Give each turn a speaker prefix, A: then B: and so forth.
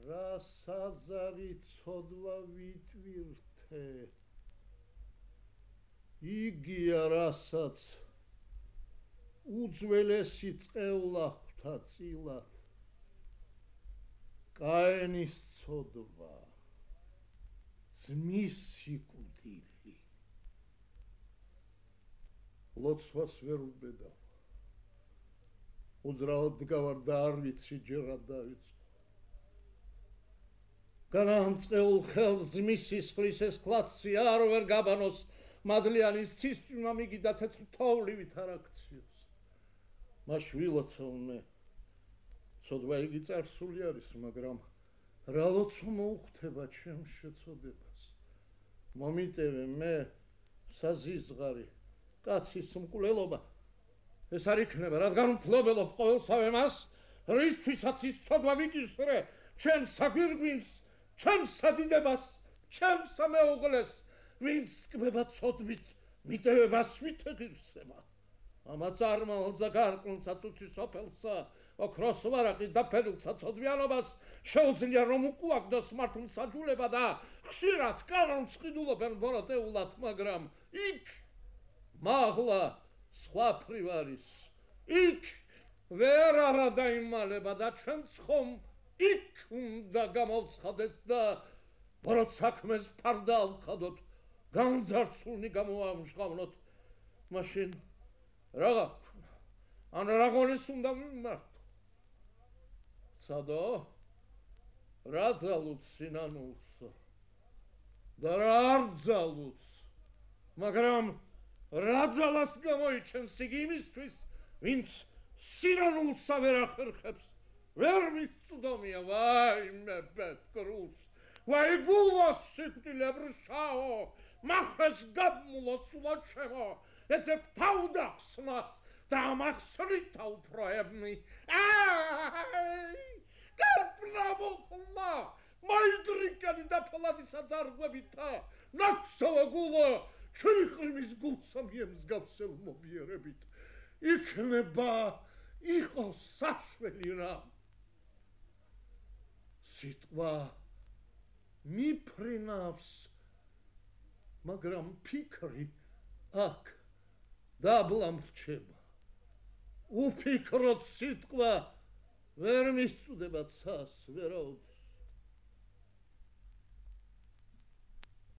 A: რა საზარი ცოდვა ვიტვირთე იგია რასაც უძველესი წყევლა ხვთა წილად კაენის ცოდვა ძმის სიკვდილი ლოცვას ვერ უბედავ უძრავად დგავარ და არ ვიცი ჯერ რა დავიწყო განამწყეულ ხელს ძმის სისხლის ეს კლაცი არ ვერ გაბანოს მადლიანის ცისწვიმა მიგიდა თეთრ თოვლივით არ აქციოს მას ვილოცავ ცოდვა იგი წარსული არის მაგრამ რა ლოცვა მოუხდება ჩემს შეცოდებას მომიტევე მე საზიზღარი კაცის მკვლელობა ეს არ იქნება რადგან ვფლობელობ ყოველსავე მას რისთვისაც ის ცოდვა მიკისრე ჩემს საგვირგვინს ჩემს სადიდებას ჩემს სამეუღლეს ვინც ტკბება ცოდვით მიტევებას ვით ეგირსება ამაც არმალს და გარყვნილსაც უცის სოფელსა ოქროს ვარაყი დაფერილსა ცოდვიანობას შეუძლია რომ უკუაგდოს მართლმსაჯულება და ხშირად კანონს ყიდულობენ ბოროტეულად მაგრამ იქ მაღლა სხვაფრივ არის იქ ვერ არა დაიმალება და ჩვენც ხომ იქ უნდა გამოვცხადეთ და ბოროტ საქმეს ფარდა ავხადოთ განძარცულნი გამოამჟღავნოთ მაშინ რაღა ან რაღაცის უნდა მიმართო ცადო რა ძალუც სინანულსო და რა არ ძალუც მაგრამ რა ძალას გამოიჩენს იგი იმისთვის ვინც სინანულსა ვერ ახერხებს ვერ მისწვდომია ვაიმე ბედკრულს ვაი გულოს სიკვდილებრ შაო მახეს გაბმულო სულა ჩემო ეცებ თავდახსნას და ამახსრითა უფროებნი გარპნა მოხლა მაიდრიკანი და ფოლადის აზარგვებითა ნაქსოვა გულო ჩვენი ყრმის გულსა მიემსგავსელ მომიერებით იქნება იყოს საშველი რამ სიტყვა მიფრინავს მაგრამ ფიქრი აქ დაბლა მრჩება უფიქროთ სიტყვა ვერ მისწვდება ცას ვერაუთ